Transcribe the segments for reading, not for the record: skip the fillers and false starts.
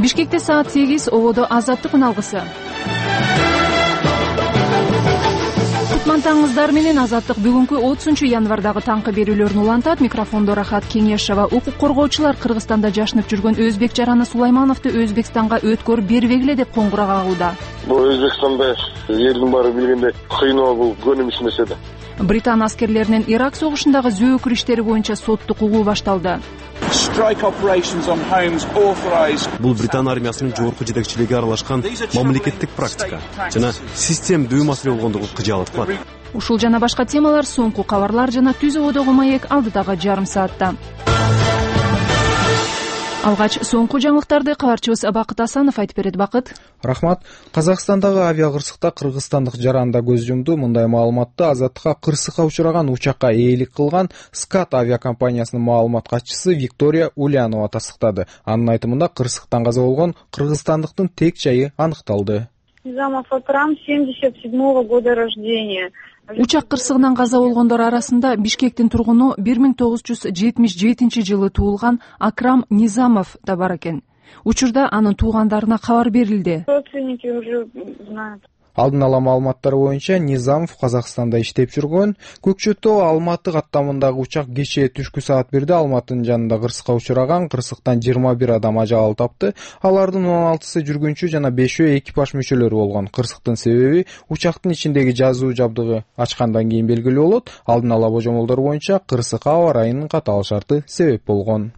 Бишкекте саат 8 ободо азаттык үналгысы. Кутмантаңыздар менен азаттык бүгүнкү 30-январдагы таңкы берүүлөрүн улантат. Микрофондо Рахат Кеңешова. Укук коргоочулар Кыргызстанда жашынып жүргөн өзбек жараны Сулаймановду Өзбекстанга өткөрүп бербегиле деп коңгуроо кагууда. Бул Өзбекстанда элдин баары билгендей кыйноо бул көнүмүш эмес эди. Британ аскерлеринин Ирак согушундагы зөөкүр иштери боюнча соттук угуу башталды. Бул Британ армиясынын жогорку жетекчилиги аралашкан мамлекеттик практика жана системдүү маселе болгондугу кыжаалат кылат. Ушул жана башка темалар соңку кабарлар жана түз ободогу маек алдыдагы жарым саатта. Алгач соңку жаңылыктарды кабарчыбыз Бакыт Асанов айтып берет. Бакыт. Рахмат. Казакстандагы авиакырсыкта кыргызстандык жаранда көз жумду. Мындай маалыматты азаттыкка кырсыкка учураган учакка ээлик кылган СКАТ авиакомпаниясынын маалымат катчысы Виктория Ульянова тастыктады. Анын айтымында кырсыктан каза болгон кыргызстандыктын тек жайы аныкталды. Низамов Акрам, 77-го года рождения. Учак кырсыгынан каза болгондор арасында Бишкектин тургуну 1977-жылы туулган Акрам Низамов да бар экен. Учурда анын туугандарына кабар берилди. Родственники уже знают. Алдын ала маалыматтар боюнча Низамов Казакстанда иштеп жүргөн. Көкчөтө Алматы каттамындагы учак кечээ түшкү саат 1-де Алматынын жанында кырсыкка учураган. Кырсыктан 21 адам ажал тапты. Алардын 16сы жүргүнчү жана 5-өө экипаж мүчөлөрү болгон. Кырсыктын себеби учактын ичиндеги жазуу жабдыгы ачкандан кийин белгилүү болот. Алдын ала божомолдор боюнча кырсыкка аба ырайынын катаал шарты себеп болгон.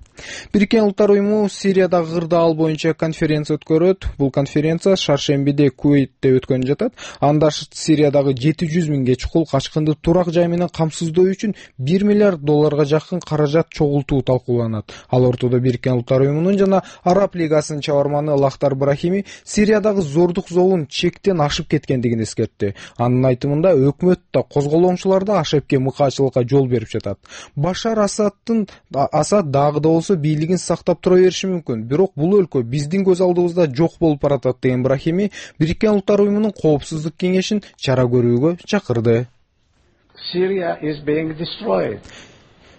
Бириккен Улуттар уюму Сириядагы кырдаал боюнча конференция өткөрөт. Бул конференция шаршембиде Куэйтте өткөн жатат. Анда Сириядагы 700 миңге чукул качкынды турак жай менен камсыздоо үчүн $1 миллиард жакын каражат чогултуу талкууланат. Ал ортодо Бириккен Улуттар уюмунун жана Араб лигасынын чабарманы Лахтар Брахими Сириядагы зордук зобун чектен ашып кеткендигин эскертти. Анын айтымында өкмөт да козголоңчулар да ашепке мыкаачылыкка жол берип жатат. Башар Асад дагы да бийлигин сактап тура бериши мүмкүн. Бирок бул өлкө биздин көз алдыбызда жок болуп баратат деген Брахими Бириккен Улуттар уюмунун коопсуздук кеңешин чара көрүүгө чакырды.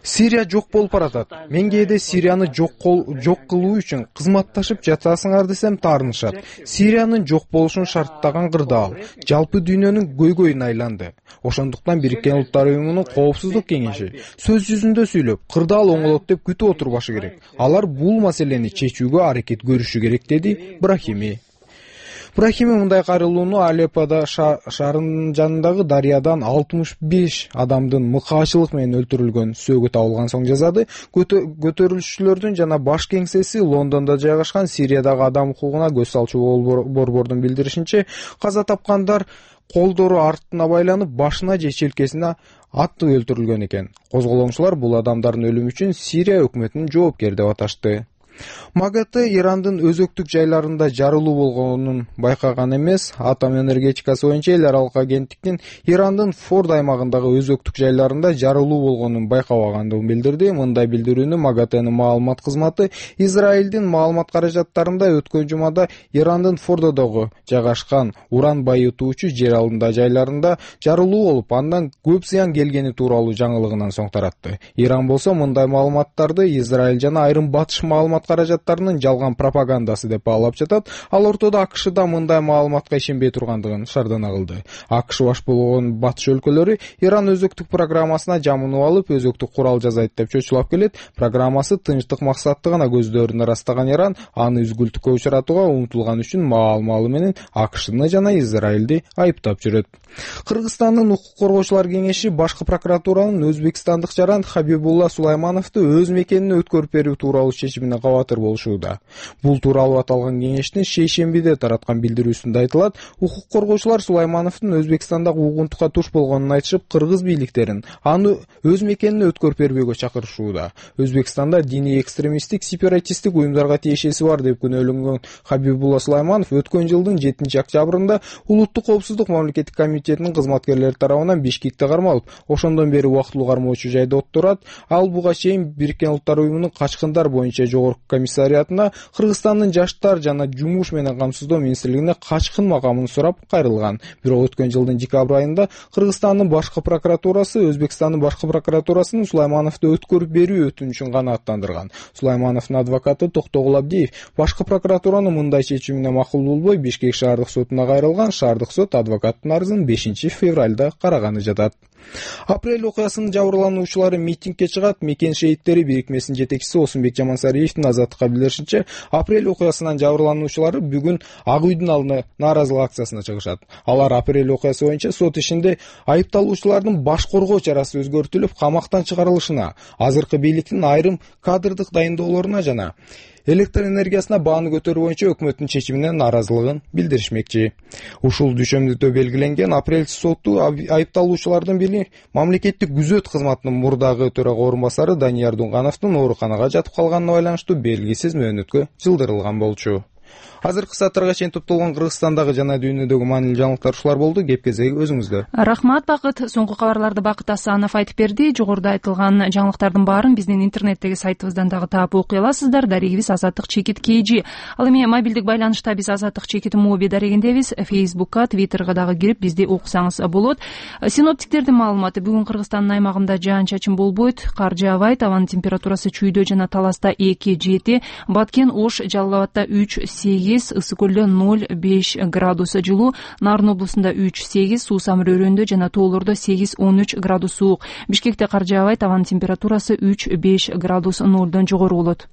Сирия жок болуп баратат. Мен кээде Сирияны жок кылуу үчүн кызматташып жатасыңар десем таарынышат. Сириянын жок болушун шарттаган кырдаал жалпы дүйнөнүн көйгөйүнө айланды. Ошондуктан Бириккен Улуттар уюмунун коопсуздук кеңеши сөз жүзүндө сүйлөп, кырдаал оңолот деп күтүп отурбашы керек. Алар бул маселени чечүүгө аракет көрүшү керек, деди Брахими. Брахими мындай кайрылууну Алепподо шаарынын жанындагы дарыядан 65 адамдын мыкаачылык менен өлтүрүлгөн сөөгү табылган соң жазады. Көтөрүлүшчүлөрдүн жана баш кеңсеси Лондондо жайгашкан Сириядагы адам укугуна көз салчу борбордун билдиришинче, каза тапкандар колдору артына байланып, башына же челкесине атып өлтүрүлгөн экен. Козголоңчулар бул адамдардын өлүмү үчүн Сирия өкмөтүн жоопкер деп аташты. МАГАТЭ Ирандын өзөктүк жайларында жарылуу болгонун байкаган эмес. Атом энергетикасы боюнча эл аралык агенттиктин Ирандын Форд аймагындагы өзөктүк жайларында жарылуу болгонун байкабагандыгын билдирди. Мындай билдирүүнү МАГАТЭнин маалымат кызматы Израилдин маалымат каражаттарында өткөн жумада Ирандын Фордодогу жайгашкан уран байытуучу жер алдында жайларында жарылуу болуп, андан көп зыян келгени тууралуу жаңылыгынан соң таратты. Иран болсо мындай маалыматтарды Израиль жана айрым батыш маалымат каражаттарынын жалган пропагандасы деп баалап жатат. Ал ортодо АКШда мындай маалыматка ишенбей тургандыгын шардана кылды. АКШ баш болгон батыш өлкөлөрү Иран өзөктүк программасына жамынып алып, өзөктүк курал жасайт деп чочулап келет. Программасы тынчтык максатты гана көздөрүн ырастаган Иран аны үзгүлтүккө учуратууга умтулган үчүн маал-малы менен АКШны жана Израилди айыптап жүрөт. Кыргызстандын укук коргоочулар кеңеши башкы прокуратуранын өзбекстандык жаран Хабибулла Сулаймановду өз мекенине өткөрүп берүү тууралуу чечимине кабатыр болушууда. Бул тууралуу аталган кеңештин шейшембиде тараткан билдирүүсүндө айтылат, укук коргоочулар Сулаймановдун Өзбекстандагы угунтукка туш болгонун айтышып, кыргыз бийликтерин аны өз мекенине өткөрүп бербөөгө чакырышууда. Өзбекстанда диний экстремисттик, сепаратисттик уюмдарга тиешеси бар деп күнөөлөнгөн Хабибулла Сулайманов өткөн жылдын 7-октябрында Улуттук коопсуздук мамлекеттик комитетинин кызматкерлери тарабынан Бишкекте кармалып, ошондон бери убактылуу кармоочу жайда отурат. Ал буга чейин Бириккен Улуттар уюмунун качкындар боюнча жогорку комиссариатына Кыргызстандын жаштар жана жумуш менен камсыздоо министрлигине качкын макамын сурап кайрылган. Бирок өткөн жылдын декабрь айында Кыргызстандын башкы прокуратурасы Өзбекстандын башкы прокуратурасынын Сулаймановду өткөрүп берүү өтүнүчүн канааттандырган. Сулаймановдун адвокаты Токтогул Абдиев башкы прокуратуранын мындай чечимине макул болбой Бишкек шаардык сотуна кайрылган. Шаардык сот адвокаттын арызын 5-февралда караганы жатат. Апрель окуясынын жабырлануучулары митингге чыгат. Мекен шейиттери бирикмесинин жетекчиси Осунбек Жамансариевдин Азаттыкка билдиришинче, апрель окуясынан жабырлануучулары бүгүн Ак үйдүн алдына нааразылык акциясына чыгышат. Алар апрель окуясы боюнча сот ишинде айыпталуучулардын баш коргоо чарасы өзгөртүлүп, камактан чыгарылышына, азыркы бийликтин айрым кадрдык дайындоолоруна жана электр энергиясына бааны көтөрүү боюнча өкмөттүн чечимине нааразылыгын билдиришмекчи. Ушул дүйшөмдүдө белгиленген апрель соту айыпталуучулардын бири мамлекеттик күзөт кызматынын мурдагы төрага орун басары Данияр Дунгановдун ооруканага жатып калганына байланыштуу белгисиз мөөнөткө жылдырылган болчу. Азыркы сааттарга чейин топтолгон Кыргызстандагы жана дүйнөдөгү маанилүү жаңылыктар ушулар болду. Кеп кезеги өзүңүздө. Рахмат Бакыт. Соңку кабарларды Бакыт Асанов айтып берди. Жогоруда айтылган жаңылыктардын баарын биздин интернеттеги сайтыбыздан дагы таап окуй аласыздар. Дарегибиз Азаттык чекит KG. Ал эми мобилдик байланышта биз Азаттык чекит моби дарегиндебиз. Facebookка, Twitterга дагы кирип бизди окусаңыз болот. Синоптиктердин маалыматы: бүгүн Кыргызстандын аймагында жаан-чачын болбойт, кар жаабайт, абанын температурасы Чүйдө жана Таласта 2-7, Баткен, Ош, Жалал Абадта 3-8, Ысык көлдө 0-5 градус жылуу, Нарын облусунда 3-8, Суусам районунда жана тоолордо 8-13 градус суук. Бишкекте кар жаабайт, абанын температурасы 3-5 градус нолдон жогору болот.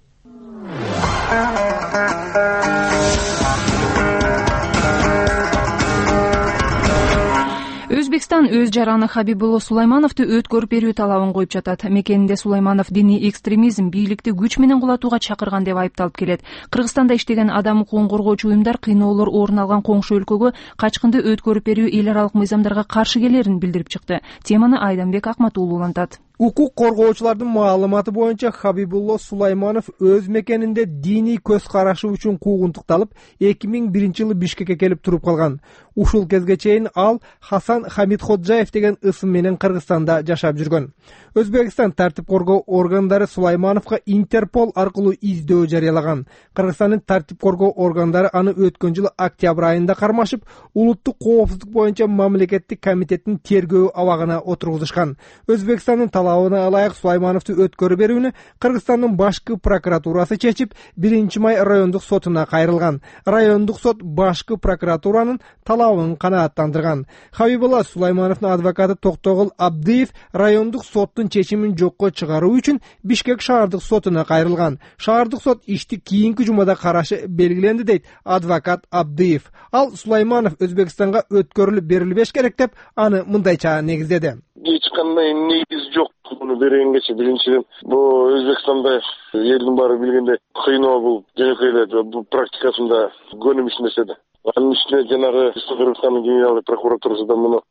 Өзбекстан өз жараны Хабибулло Сулаймановду өткөрүп берүү талабын коюп жатат. Мекенинде Сулайманов диний экстремизм, бийликти күч менен кулатууга чакырган деп айыпталып келет. Кыргызстанда иштеген адам укугун коргоочу уюмдар кыйноолор орун алган коңшу өлкөгө качкынды өткөрүп берүү эл аралык мыйзамдарга каршы келерин билдирип чыкты. Теманы Айданбек Акматуулу улантат. Укук коргоочулардын маалыматы боюнча Хабибулло Сулайманов өз мекенинде диний көз карашы үчүн куугунтукталып 2001-жылы Бишкекке келип туруп калган. Ушул кезге чейин ал Хасан Хамидходжаев деген ысым менен Кыргызстанда жашап жүргөн. Өзбекстан тартип коргоо органдары Сулаймановго Интерпол аркылуу издөө жарыялаган. Кыргызстандын тартип коргоо органдары аны өткөн жылы октябрь айында кармашып, улуттук коопсуздук боюнча мамлекеттик комитеттин тергөө абагына отургузушкан. Өзбекстандын талабына ылайык Сулаймановду өткөрүп берүүнү Кыргызстандын башкы прокуратурасы чечип, 1-май райондук сотуна кайрылган. Райондук сот башкы прокуратуранын талабын канааттандырган. Хабибулла Сулаймановдун адвокаты Токтогул Абдиев райондук соттун чечимин жокко чыгаруу үчүн Бишкек шаардык сотуна кайрылган. Шаардык сот ишти кийинки жумада карашы белгиленди, дейт адвокат Абдиев. Ал Сулайманов Өзбекстанга өткөрүлүп берилбеш керек деп аны мындайча негиздеди. Эч кандай негиз жок муну бергенгечи. Биринчиден, бул Өзбекстанда элдин баары билгенде кыйноо бул жөнөкөй эле бул практикасында көнүмүш нерсе да. Анын үстүнө жанагы Кыргызстандын генералдык прокуратурасы да муну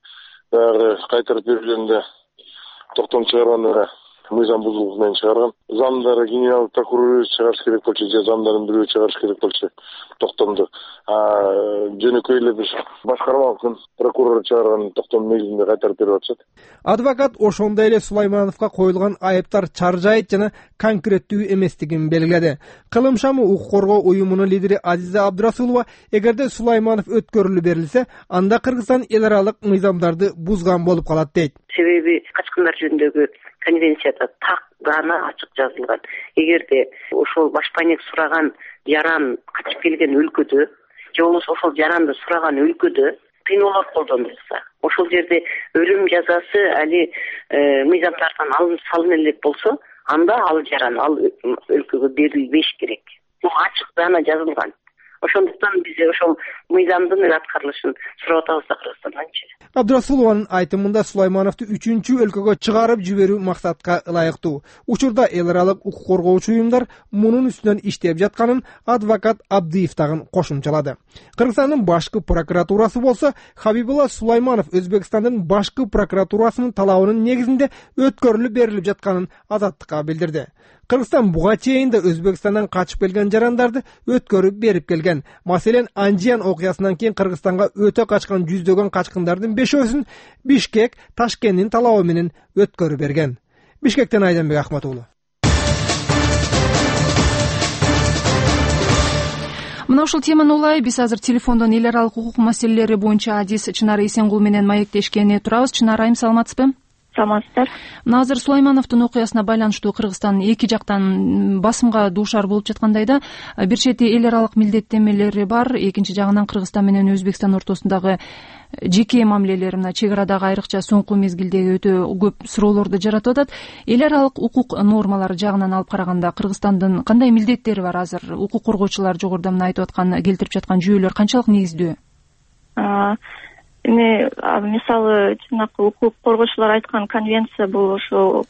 баягы кайтарып берүүнүндө токтом чыгарган мыйзам бузуулук менен чыгарган. Замдары генералдык прокурор чыгарыш керек болчу, же замдарын бирөө чыгарыш керек болчу токтомду. Жөнөкөй эле бир башкармалыктын прокурору чыгарган токтом негизинде кайтарып берип атышат. Адвокат ошондой эле Сулаймановго коюлган айыптар чаржайыт жана конкреттүү эместигин белгиледи. Кылым шамы укук коргоо уюмунун лидери Азиза Абдрасулова эгерде Сулайманов өткөрүлүп берилсе, анда Кыргызстан эл аралык мыйзамдарды бузган болуп калат, дейт. Себеби качкындар жөнүндөгү конвенцияда так гана ачык жазылган. Эгерде ошол башпайнек сураган жаран качып келген өлкөдө, же болбосо ошол жаранды сураган өлкөдө кыйноолор колдонулса, ошол жерде өлүм жазасы али мыйзамдардан алынып салына элек болсо, анда ал жаран ал өлкөгө берилбеш керек. Бул ачык гана жазылган. Ошондуктан биз ошол мыйзамдын аткарылышын сурап атабыз да Кыргызстанданчы. Абдрасулованын айтымында Сулаймановду 3-чү өлкөгө чыгарып жиберүү максатка ылайыктуу. Учурда эл аралык укук коргоочу уюмдар мунун үстүнөн иштеп жатканын адвокат Абдиев дагы кошумчалады. Кыргызстандын башкы прокуратурасы болсо Хабибулла Сулайманов Өзбекстандын башкы прокуратурасынын талабынын негизинде өткөрүлүп берилип жатканын Азаттыкка билдирди. Кыргызстан буга чейин да Өзбекстандан качып келген жарандарды өткөрүп берип келген. Маселен, Анжиян окуясынан кийин Кыргызстанга өтө качкан жүздөгөн качкындардын 5-өсүн Бишкек Ташкенттин талабы менен өткөрүп берген. Бишкектен Айданбек Акматуулу. мына ушул теманы улай биз азыр телефондон эл аралык укук маселелери боюнча адис Чынара Эсенгул менен маектешкени турабыз. Чынара айым, саламатсызбы? Саламатсыздар. Мына азыр Сулаймановдун окуясына байланыштуу Кыргызстан эки жактан басымга дуушар болуп жаткандайда, бир чети эл аралык милдеттенмелери бар, экинчи жагынан Кыргызстан менен Өзбекстан ортосундагы жеке мамилелер мына чек арадагы айрыкча соңку мезгилдеги өтө көп суроолорду жаратып атат. Эл аралык укук нормалары жагынан алып караганда Кыргызстандын кандай милдеттери бар азыр? Укук коргоочулар жогоруда мына айтып аткан, келтирип жаткан жүйөлөр канчалык негиздүү? Эми мисалы жанакы укук коргоочулар айткан конвенция бул ошо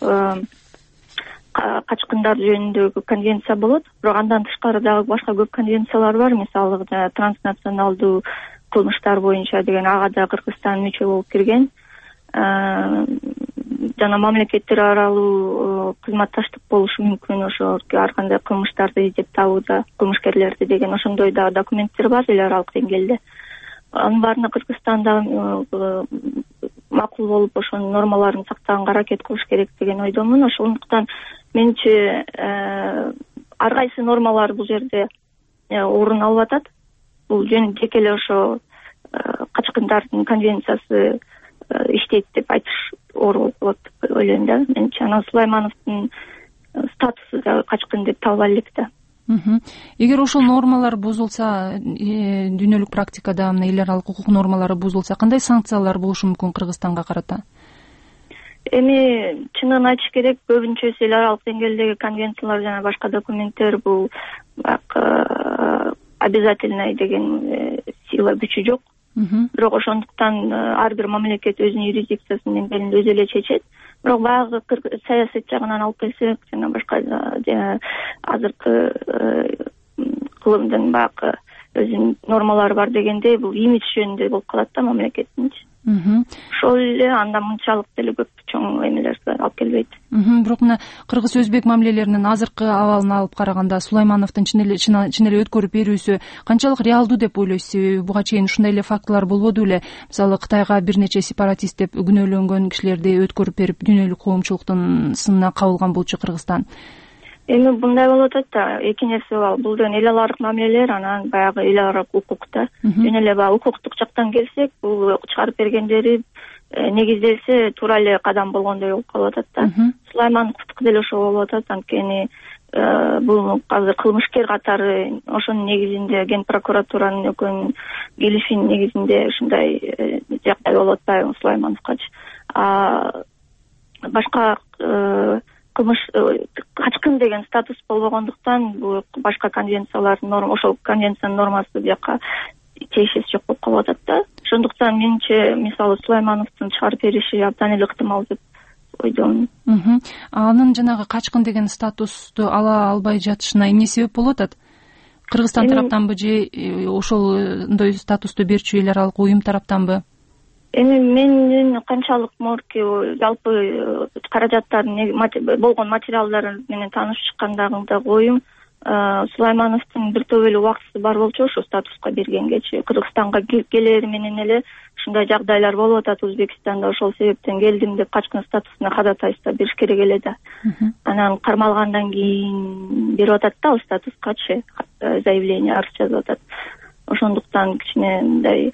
качкындар жөнүндөгү конвенция болот. Бирок андан тышкары дагы башка көп конвенциялар бар. Мисалы транснационалдуу кылмыштар боюнча деген, ага да Кыргызстан мүчө болуп кирген. Жана мамлекеттер аралуу кызматташтык болушу мүмкүн ошо ар кандай кылмыштарды издеп табууда, кылмышкерлерди деген ошондой да документтер бар эл аралык деңгээлде. Анын баарына Кыргызстанда макул болуп ошонун нормаларын сактаганга аракет кылыш керек деген ойдомун. Ошондуктан менимче ар кайсы нормалар бул жерде орун алып атат. Бул жеке эле ошо качкындардын конвенциясы иштейт деп айтыш оор болот деп ойлойм да. Менимче анан Сулаймановдун статусу да качкын деп табыла элек да. Эгер ошол нормалар бузулса, дүйнөлүк практикада мына эл аралык укук нормалары бузулса, кандай санкциялар болушу мүмкүн Кыргызстанга карата? Эми чынын айтыш керек, көбүнчөсү эл аралык деңгээлдеги конвенциялар жана башка документтер бул обязательный деген сила күчү жок. Бирок ошондуктан ар бир мамлекет өзүнүн юрисдикциясынын деңгээлинде өзү эле чечет. Бирок баягы саясат жагынан алып келсек, жана башка азыркы кылымдын баягы өзүнүн нормалары бар дегендей, бул имидж жөнүндө болуп калат да мамлекеттинчи. Ошол эле андан мынчалык деле көп чоң эмелерге алып келбейт. Бирок мына кыргыз-өзбек мамилелеринин азыркы абалын алып караганда Сулаймановдун чын эле өткөрүп берүүсү канчалык реалдуу деп ойлойсуз? Себеби буга чейин ушундай эле фактылар болбоду беле? Мисалы Кытайга бир нече сепаратист деп күнөөлөнгөн кишилерди өткөрүп берип дүйнөлүк коомчулуктун сынына кабылган болчу Кыргызстан. Эми мындай болуп атат да, эки нерсе бар. Бул деген эл аралык мамилелер, анан баягы эл аралык укукта. Жөн эле баягы укуктук жактан келсек, бул чыгарып бергендери негизделсе туура эле кадам болгондой болуп калып атат да. Сулаймановдуку деле ошо болуп атат. Анткени бул азыр кылмышкер катары ошонун негизинде Ген прокуратуранын өкүмүнүн келишинин негизинде ушундай жагдай болуп атпайбы Сулаймановгачы. Башка кылмыш качкын деген статус болбогондуктан бул башка конвенциялардын ошол конвенциянын нормасы бияка тиешеси жок болуп калып атат да. Ошондуктан менимче мисалы Сулаймановдун чыгарып бериши абдан эле ыктымал деп ойдомун. Анын жанагы качкын деген статусту ала албай жатышына эмне себеп болуп атат? Кыргызстан тараптанбы же ошолдой статусту берчү эл аралык уюм тараптанбы? Эми менин канчалык жалпы каражаттардын болгон материалдары менен таанышып чыккандагы оюм, Сулаймановдун бир топ эле убактысы бар болчу ошо статуска бергенгечи. Кыргызстанга келери менен эле ушундай жагдайлар болуп атат Өзбекстанда, ошол себептен келдим деп качкын статусуна ходатайство бериш керек эле да. Анан кармалгандан кийин берип атат да ал статускачы заявление, арыз жазып атат. Ошондуктан кичине мындай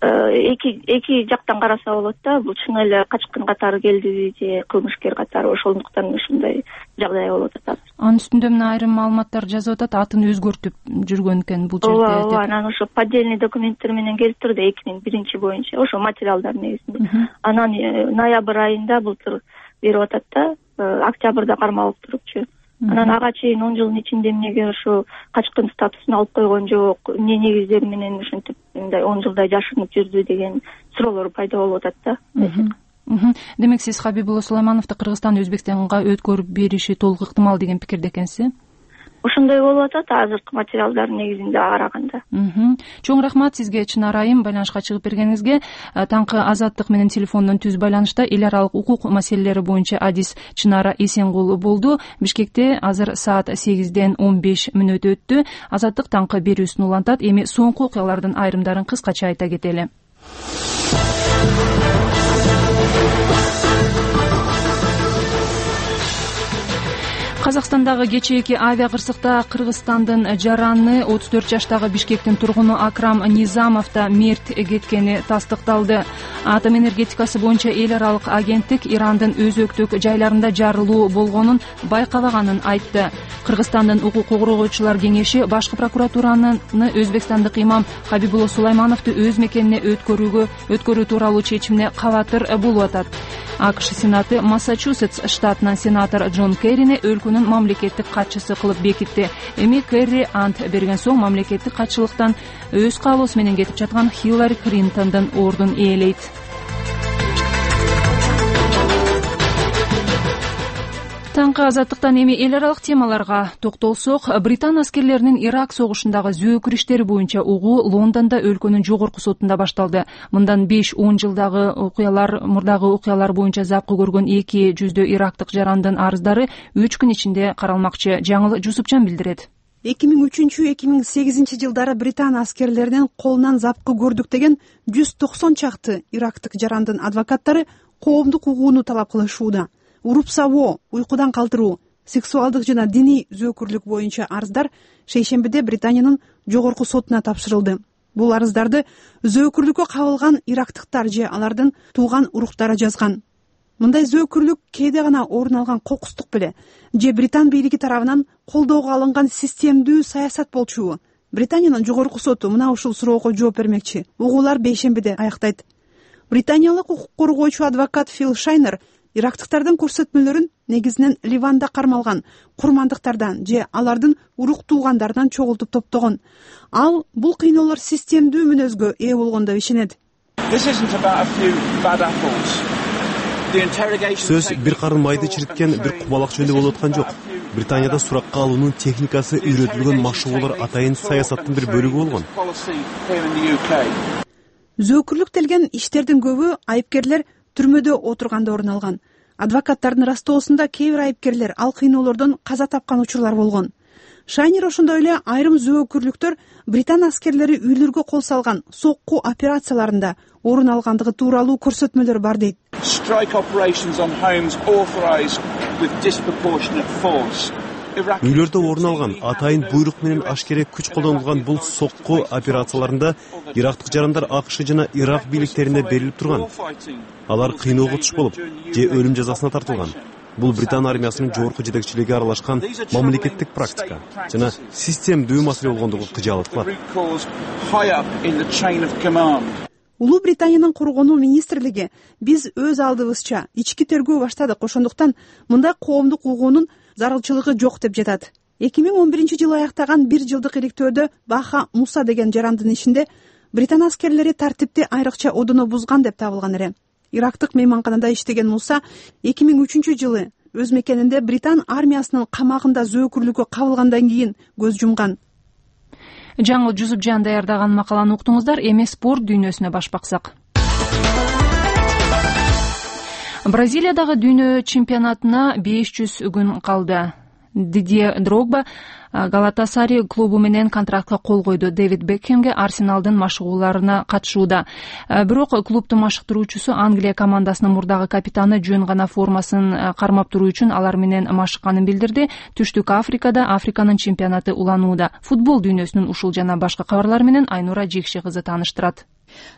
эки жактан караса болот да, бул чын эле качкын катары келдиби же кылмышкер катары, ошондуктан ушундай жагдай болуп атат. Анын үстүндө мына айрым маалыматтар жазып атат, атын өзгөртүп жүргөн экен бул жерде. Ооба, анан ошо поддельный документтер менен келтирди 2001 боюнча, ошо материалдар негизинде. Анан ноябрь айында былтыр берип атат да, октябрда кармалып турупчу. Анан ага чейин 10 жылдын ичинде эмнеге ошо качкын статусун алып койгон жок, эмне негиздер менен ушинтип мындай 10 жылдай жашынып жүрдү деген суроолор пайда болуп атат да. Демек сиз Хабибулла Сулаймановду Кыргызстан Өзбекстанга өткөрүп бериши толук ыктымал деген пикирде экенсиз? Ошондой болуп атат азыркы материалдардын негизинде караганда. Чоң рахмат сизге, Чынара айым, байланышка чыгып бергениңизге. Таңкы Азаттык менен телефондон түз байланышта эл аралык укук маселелери боюнча адис Чынара Эсенгул болду. Бишкекте азыр саат 8ден 15 мүнөт өттү. Азаттык таңкы берүүсүн улантат. Эми соңку окуялардын айрымдарын кыскача айта кетели. Казакстандагы кечээки авиа кырсыкта Кыргызстандын жараны 34 жаштагы Бишкектин тургуну Акрам Низамов да мерт кеткени тастыкталды. Атом энергетикасы боюнча эл аралык агенттик Ирандын өзөктүк жайларында жарылуу болгонун байкабаганын айтты. Кыргызстандын укук коргоочулар кеңеши башкы прокуратураны өзбекстандык имам Хабибулло Сулаймановду өз мекенине өткөрүү тууралуу чечимине кабатыр болуп атат. АКШ Сенаты Массачусетс штатынан сенатор Джон Керрини өлкөнүн мамлекеттик катчысы кылып бекитти. Эми Керри ант берген соң мамлекеттик катчылыктан өз каалоосу менен кетип жаткан Хиллари Клинтондун ордун ээлейт. Таңкы азаттыктан эми эл аралык темаларга токтолсок, Британ аскерлеринин Ирак согушундагы зөөкүр иштери боюнча угуу Лондондо өлкөнүн жогорку сотунда башталды. Мындан 5-10 жылдагы мурдагы окуялар боюнча запкы көргөн 200 ирактык жарандын арыздары 3 күн ичинде каралмакчы. Жаңыл Жусупчан билдирет. 2003-2008 жылдары Британ аскерлеринин колунан запкы көрдүк деген 190 чакты ирактык жарандын адвокаттары коомдук угууну талап кылышууда. Уруп-сабоо, уйкудан калтыруу, сексуалдык жана диний зөөкүрлүк боюнча арыздар шейшембиде Британиянын жогорку сотуна тапшырылды. Бул арыздарды зөөкүрлүккө кабылган ирактыктар же алардын тууган уруктары жазган. Мындай зөөкүрлүк кээде гана орун алган кокустук беле же Британ бийлиги тарабынан колдоого алынган системдүү саясат болчубу? Британиянын жогорку соту мына ушул суроого жооп бермекчи. Угуулар бейшембиде аяктайт. Британиялык укук коргоочу адвокат Фил Шайнер ирактыктардын көрсөтмөлөрүн негизинен Ливанда кармалган курмандыктардан же алардын урук туугандарынан чогултуп топтогон. Ал бул кыйноолор системдүү мүнөзгө ээ болгон деп ишенет. Сөз бир карын майды чириткен бир кубалак жөнүндө болуп аткан жок. Британияда суракка алуунун техникасы үйрөтүлгөн машыгуулар атайын саясаттын бир бөлүгү болгон. Зөөкүрлүктелген иштердин көбү айыпкерлер түрмөдө отурганда орун алган. Адвокаттардын растоосунда кээ бир айыпкерлер ал кыйноолордон каза тапкан учурлар болгон. Шайнер ошондой эле айрым зөөкүрлүктөр Британ аскерлери үйлөргө кол салган сокку операцияларында орун алгандыгы тууралуу көрсөтмөлөр бар дейт. Үйлөрдө орун алган атайын буйрук менен ашкере күч колдонулган бул сокку операцияларында ирактык жарандар АКШ жана Ирак бийликтерине берилип турган. Алар кыйноого туш болуп же өлүм жазасына тартылган. Бул Британ армиясынын жогорку жетекчилиги аралашкан мамлекеттик практика жана системдүү маселе болгондугу кыжаалык кылат. Улуу Британиянын коргонуу министрлиги биз өз алдыбызча ички тергөө баштадык, ошондуктан мындай коомдук угуунун зарылчылыгы жок деп жатат. 2011-жылы аяктаган 1 жылдык иликтөөдө Баха Муса деген жарандын ишинде Британ аскерлери тартипти айрыкча одоно бузган деп табылган эле. Ирактык мейманканада иштеген Муса 2003-жылы өз мекенинде Британ армиясынын камагында зөөкүрлүккө кабылгандан кийин көз жумган. Жаңыл Жусупжан даярдаган макаланы уктуңуздар. Эми спорт дүйнөсүнө баш баксак. Бразилиядагы дүйнө чемпионатына 500 күн калды. Дидье Дрогба Галатасаray клубу менен контрактка кол койду. Дэвид Бекхемге Арсеналдын машыгууларына катышууда. Бирок клубдун машыктыруучусу Англия командасынын мурдагы капитаны жөн гана формасын кармап туруу үчүн алар менен машыкканын билдирди. Түштүк Африкада Африканын чемпионаты уланууда. Футбол дүйнөсүнүн ушул жана башка кабарлары менен Айнура Жекши кызы тааныштырат.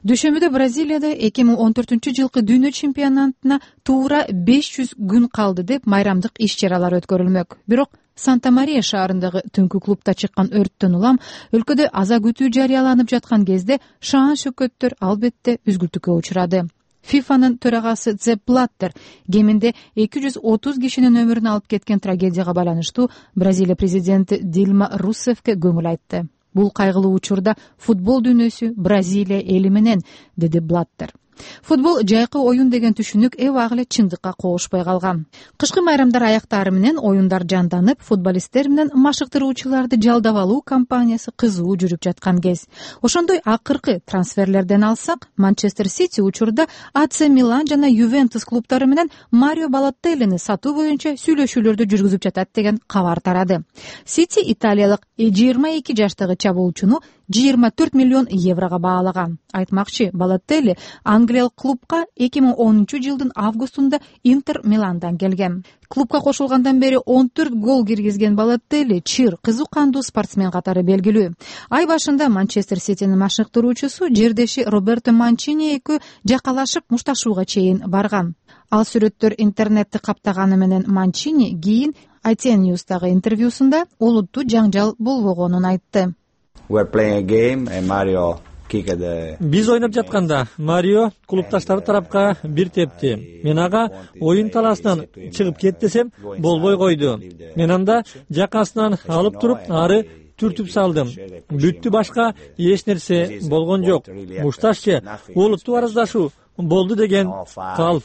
Дүйшөмбүдө Бразилияда 2014-жылкы дүйнө чемпионатына туура 500 күн калды деп майрамдык иш-чаралар өткөрүлмөк. Бирок Санта-Мария шаарындагы түнкү клубда чыккан өрттөн улам өлкөдө аза күтүү жарыяланып жаткан кезде шаан-шөкөттөр албетте үзгүлтүккө учурады. ФИФАнын төрагасы Зепп Блаттер кеминде 230 кишинин өмүрүн алып кеткен трагедияга байланыштуу Бразилия президенти Дилма Руссефке көңүл айтты. Бул кайгылуу учурда футбол дүйнөсү Бразилия эли менен, деди Блаттер. Футбол жайкы оюн деген түшүнүк эбак эле чындыкка кошпой калган. Кышкы майрамдар аяктары менен оюндар жанданып, футболисттер менен машыктыруучуларды жалдап алуу кампаниясы кызуу жүрүп жаткан кез. Ошондой акыркы трансферлерден алсак, Манчестер Сити учурда АЦ Милан жана Ювентус клубтары менен Марио Балотеллини сатуу боюнча сүйлөшүүлөрдү жүргүзүп жатат деген кабар тарады. Сити италиялык 22 жаштагы чабуулчуну 24 миллион еврого баалаган. Айтмакчы, Балотелли англиялык клубка 2010-жылдын августунда Интер Миландан келген. Клубка кошулгандан бери 14 гол киргизген Балотелли чыр, кызуу кандуу спортсмен катары белгилүү. Ай башында Манчестер Ситинин машыктыруучусу жердеши Роберто Манчини экөө жакалашып мушташууга чейин барган. Ал сүрөттөр интернетти каптаганы менен Манчини кийин ITN News'тагы интервьюсунда олуттуу жаңжал болбогонун айтты. Биз ойноп жатканда Марио клубташтары тарапка бир тепти. Мен ага оюн талаасынан чыгып кет десем, болбой койду. Мен анда жакасынан алып туруп, ары түртүп салдым. Бүттү, башка эч нерсе болгон жок. Мушташчы олуттуу арыздашуу болду деген калп.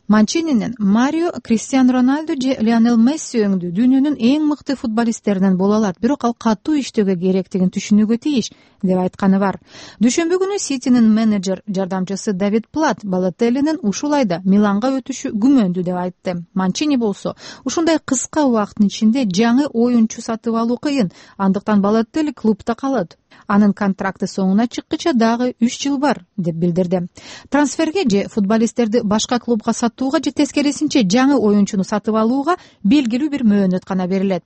Манчининин Марио, Криштиану Роналду же Лионел Месси өңдүү дүйнөнүн эң мыкты футболисттеринен боло алат, бирок ал катуу иштөөгө керектигин түшүнүүгө тийиш деп айтканы бар. Дүйшөмбү күнү Ситинин менеджер жардамчысы Давид Плат Балотеллинин ушул айда Миланга өтүшү күмөндүү деп айтты. Манчини болсо, ушундай кыска убакыттын ичинде жаңы оюнчу сатып алуу кыйын, андыктан Балотелли клубда калат. Анын контракты соңуна чыккыча дагы 3 жыл бар деп билдирди. Трансферге же футболисттерди башка клубга сатууга же тескерисинче жаңы оюнчуну сатып алууга белгилүү бир мөөнөт гана берилет.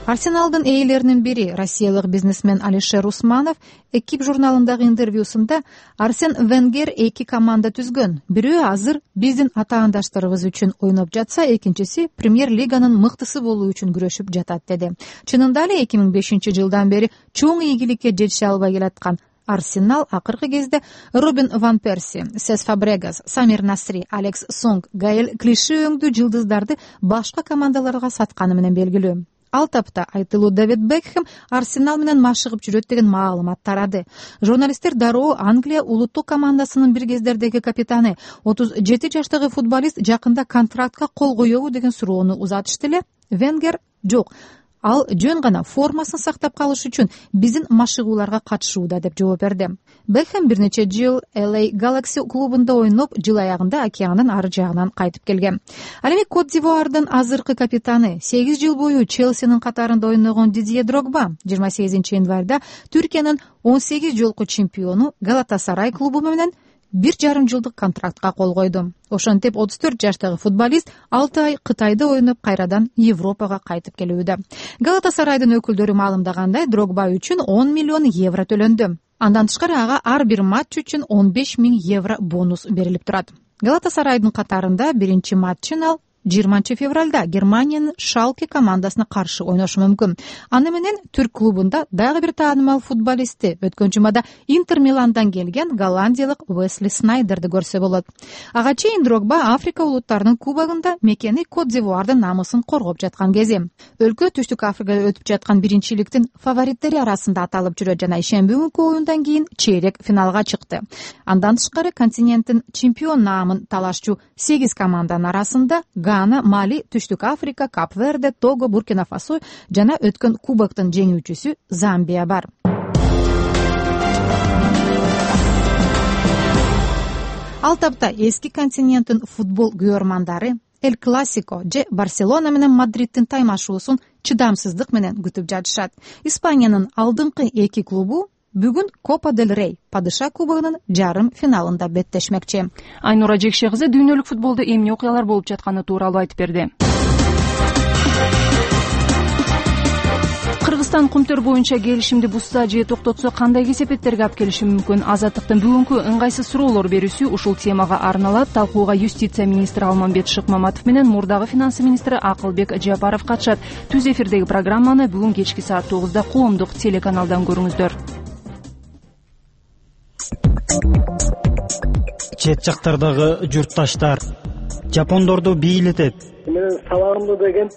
Арсеналдын ээлеринин бири, россиялык бизнесмен Алишер Усманов Экип журналындагы интервьюсунда Арсен Венгер 2 команда түзгөн. Бирөө азыр биздин атаандаштарыбыз үчүн ойноп жатса, экинчиси Премьер-лиганын мыктысы болуу үчүн күрөшүп жатат деди. Чынында эле 2005-жылдан бери чоң ийгиликке жетише албай келаткан Арсенал акыркы кезде Робин Ван Перси, Сес Фабрегас, Самир Насри, Алекс Сонг, Гаэль Клиши өңдүү жылдыздарды башка командаларга сатканы менен белгилүү. Ал тапта айтылуу Дэвид Бекхэм Арсенал менен машыгып жүрөт деген маалымат тарады. Журналисттер дароо Англия улуттук командасынын бир кездердеги капитаны 37 жаштагы футболист жакында контрактка кол коёбу деген суроону узатышты эле. Венгер жок, ал жөн гана формасын сактап калыш үчүн биздин машыгууларга катышууда деп жооп берди. Бекхэм бир нече жыл LA Galaxy клубунда ойноп, жыл аягында океандын ары жагынан кайтып келген. Ал эми Кот-д'Ивуардын азыркы капитаны, 8 жыл бою Челсинин катарында ойногон Дидье Дрогба 28-январда Түркиянын 18 жолку чемпиону Галатасарай клубу менен 1,5 жылдык контрактка кол койду. Ошентип 34 жаштагы футболист 6 ай Кытайда ойноп кайрадан Европага кайтып келүүдө. Галатасарайдын өкүлдөрү маалымдагандай, Дрогба үчүн 10 миллион евро төлөндү. Андан тышкары ага ар бир матч үчүн 15 000 евро бонус берилип турат. Галатасарайдын катарында биринчи матчын ал 20 февралда Германиянын Шалке командасына каршы ойношу мүмкүн. Аны менен Түрк клубунда дагы бир таанымал футболисти, өткөн жумада Интер Миландан келген голландиялык Уэсли Снайдерди көрсө болот. Ага чейин Дрогба Африка улуттарынын кубогунда мекени Кот-д'Ивуардын намысын коргоп жаткан кези. Өлкө Түштүк Африкада өтүп жаткан биринчиликтин фавориттери арасында аталып жүрөт жана ишемби күнкү оюндан кийин чейрек финалга чыкты. Андан тышкары континенттин чемпион наамын талашчу 8 команданын арасында Гана, Мали, Түштүк Африка, Кап-Верде, Того, Буркина-Фасо жана өткөн кубоктун жеңүүчүсү Замбия бар. Ал тапта эски континенттин футбол күйөрмандары Эль Классико же Барселона менен Мадридтин таймашуусун чыдамсыздык менен күтүп жатышат. Испаниянын алдыңкы 2 клубу бүгүн Копа дель Рей падыша кубогунун жарым финалында беттешмекчи. Айнура Жекше кызы дүйнөлүк футболдо эмне окуялар болуп жатканы тууралуу айтып берди. Кыргызстан кумтөр боюнча келишимди бузса же токтотсо кандай кесепеттерге алып келиши мүмкүн? Азаттыктын бүгүнкү ыңгайсыз суроолор берүүсү ушул темага арналат. Талкууга юстиция министри Алмамбет Шыкмаматов менен мурдагы финансы министри Акылбек Жапаров катышат. Түз эфирдеги программаны бүгүн кечки саат 9-да коомдук телеканалдан көрүңүздөр. Чет жактардагы журтташтар жапондорду бийлетет. Мен сабагымды деген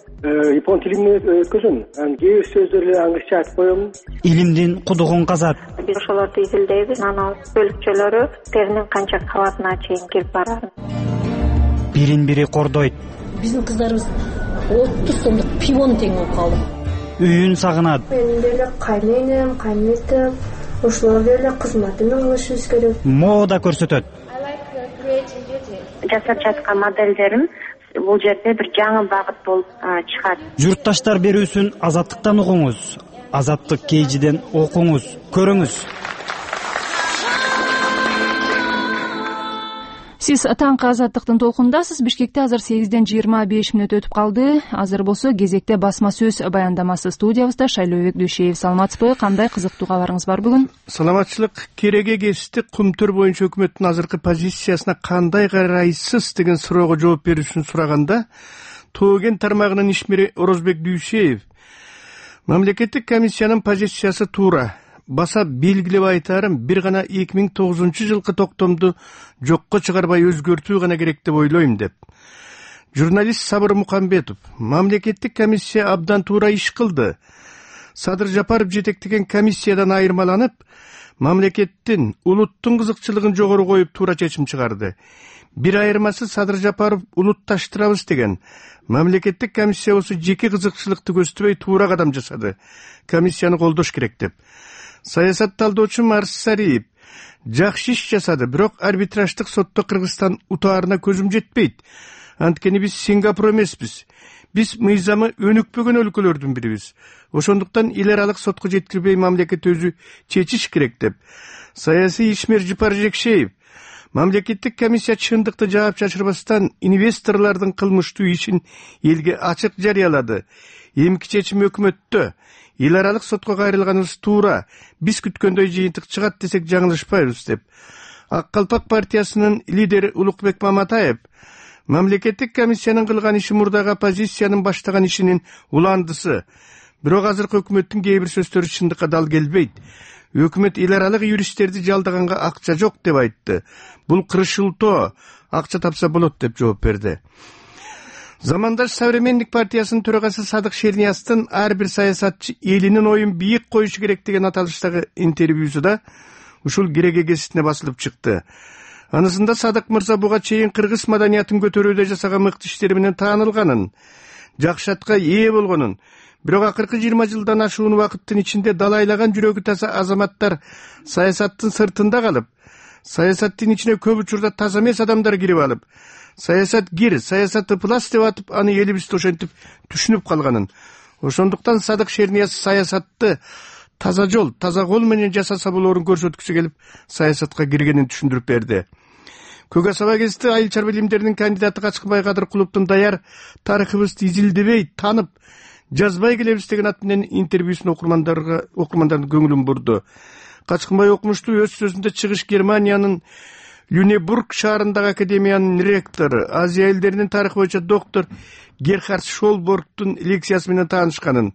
япон тилинде өткөзөм. Кээ бир сөздөрдү англисче айтып коем. Илимдин кудугун казат. Биз ошолорду изилдейбиз. Анан бөлүкчөлөрү теринин канча кабатына чейин келип барат. Бирин-бири кордойт. Биздин кыздарыбыз 30 сомдук пивону тең болуп калды. Үйүн сагынат. Мен деле кайненем, кайнетем, ошолор деле кызматына кылышыбыз керек. Мода көрсөтөт. Жасап жаткан моделдерим бул жерде бир жаңы багыт болуп чыгат. Журтташтар берүүсүн азаттыктан угуңуз. Азаттык KG'ден окуңуз, көрүңүз. Сиз таңкы Азаттыктын толкунундасыз. Бишкекте азыр 8:25 өтүп калды. Азыр болсо кезекте басма сөз баяндамасы студиябызда. Шайлообек Дүйшеев, саламатсызбы? Кандай кызыктуу кабарыңыз бар бүгүн? Саламатчылык. Кереге кести Кумтөр боюнча өкмөттүн азыркы позициясына кандай карайсыз деген суроого жооп берүү үчүн сураганда, Тоген тармагынын ишмери Орозбек Дүйшеев мамлекеттик комиссиянын позициясы туура. Баса белгилеп айтарым, бир гана 2009-жылкы токтомду жокко чыгарбай өзгөртүү гана керек деп ойлойм деп. Журналист Сабыр Мукамбетов: мамлекеттик комиссия абдан туура иш кылды. Садыр Жапаров жетектеген комиссиядан айырмаланып, мамлекеттин, улуттун кызыкчылыгын жогору коюп туура чечим чыгарды. Бир айырмасы Садыр Жапаров улутташтырабыз деген. Мамлекеттик комиссия болсо жеке кызыкчылыкты көздөбөй туура кадам жасады. Комиссияны колдош керек деп. Саясат талдоочу Марс Сариев: жакшы иш жасады, бирок арбитраждык сотто Кыргызстан утаарына көзүм жетпейт. Анткени биз Сингапур эмеспиз. Биз мыйзамы өнүкпөгөн өлкөлөрдүн бирибиз. Ошондуктан эл аралык сотко жеткирбей мамлекет өзү чечиш керек деп. Саясий ишмер Жыпар Жекшеев: мамлекеттик комиссия чындыкты жаап чачырбастан инвесторлордун кылмыштуу ишин элге ачык жарыялады. Эмки чечим өкмөттө. Эл аралык сотко кайрылганыбыз туура. Биз күткөндөй жыйынтык чыгат десек жаңылышпайбыз деп. Ак Калпак партиясынын лидери Улукбек Маматаев: мамлекеттик комиссиянын кылган иши мурдагы оппозициянын баштаган ишинин уландысы. Бирок азыркы өкмөттүн кээ бир сөздөрү чындыкка дал келбейт. Өкмөт эл аралык юристтерди жалдаганга акча жок деп айтты. Бул кырышылтоо, акча тапса болот деп жооп берди. Замандаш Современник партиясынын төрагасы Садык Шернияздын ар бир саясатчы элинин оюн бийик коюшу керек деген аталыштагы интервьюсуда ушул кереге кеситине басылып чыкты. Анысында Садык мырза буга чейин кыргыз маданиятын көтөрүүдө жасаган мыкты иштери менен таанылганын, жакшы атка ээ болгонун, бирок акыркы 20 жылдан ашуун убакыттын ичинде далайлаган жүрөгү таза азаматтар саясаттын сыртында калып, саясаттын ичине көп учурда таза эмес адамдар кирип алып, саясат кир, саясат ыплас деп атып, аны элибизде ошентип түшүнүп калганын. Ошондуктан Садык Шернияз саясатты таза жол, таза кол менен жасаса болоорун көрсөткүсү келип, саясатка киргенин түшүндүрүп берди. Көк асаба кести айыл чарба илимдеринин кандидаты Качкынбай Кадыр Кулуптун даяр тарыхыбызды изилдебей, танып, жазбай келебиз деген ат менен интервьюсун окурмандардын көңүлүн бурду. Качкынбай окумуштуу өз сөзүндө чыгыш Германиянын Люнебург шаарындагы академиянын ректору, Азия элдеринин тарыхы боюнча доктор Герхард Шолборгтун лекциясы менен таанышканын,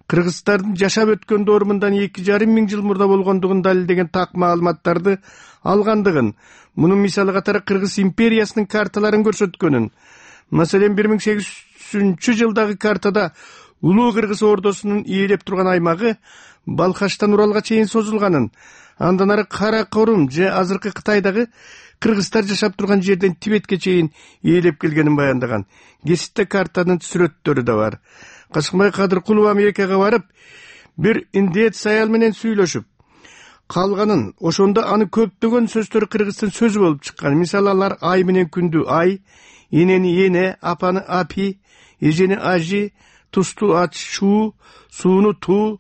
кыргыздардын жашап өткөн доорумундан 2,5 миң жыл мурда болгондугун далилдеген так маалыматтарды алгандыгын, мунун мисалы катары Кыргыз империясынын карталарын көрсөткөнүн, маселен 1800-жылдагы картада Улуу Кыргыз ордосунун ээлеп турган аймагы Балхаштан Уралга чейин созулганын, андан ары Каракорум же азыркы Кытайдагы кыргыздар жашап турган жерден Тибетке чейин ээлеп келгенин баяндаган. Кесипте картанын сүрөттөрү да бар. Качкынбай Кадыр Кулов Америкага барып, бир индеец аял менен сүйлөшүп калганын, ошондо аны көптөгөн сөздөрү кыргыздын сөзү болуп чыккан. Мисалы алар ай менен күндү ай, энени эне, апаны апи, эжени ажи, тусту ач шу, сууну ту,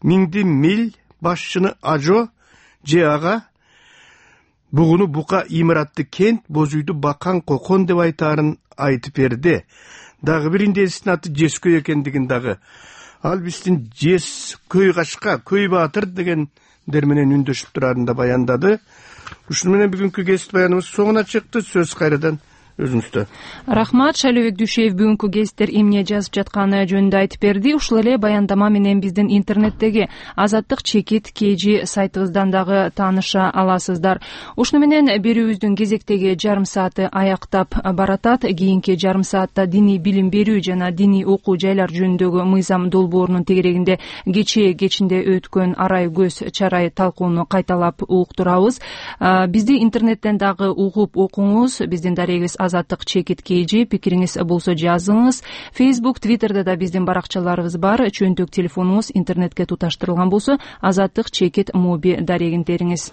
миңди мил, башчыны ажо же ага, бугуну бука, имаратты кент, боз үйдү бакан кокон деп айтаарын айтып берди. Дагы бир индеецтин аты Жескөй экендигин дагы. Ал биздин Жескөй Кашка, Көй Баатыр дегендер менен үндөшүп турарын да баяндады. Ушуну менен бүгүнкү кесип баяныбыз соңуна чыкты. Сөз кайрадан өзүңүздө. Рахмат. Шайлообек Дүйшеев бүгүнкү кесиптер эмне жазып жатканы жөнүндө айтып берди. Ушул эле баяндама менен биздин интернеттеги Азаттык чекит KG сайтыбыздан дагы тааныша аласыздар. Ушуну менен берүүбүздүн кезектеги жарым сааты аяктап баратат. Кийинки жарым саатта диний билим берүү жана диний окуу жайлар жөнүндөгү мыйзам долбоорунун тегерегинде кечинде өткөн арай көз чарай талкууну кайталап уктурабыз. Бизди интернеттен дагы угуп окуңуз. Биздин дарегибиз Азаттык чекит KG, пикириңиз болсо жазыңыз. Facebook, Twitterда да биздин баракчаларыбыз бар. Чөнтөк телефонуңуз интернетке туташтырылган болсо Азаттык чекит моби дарегин териңиз.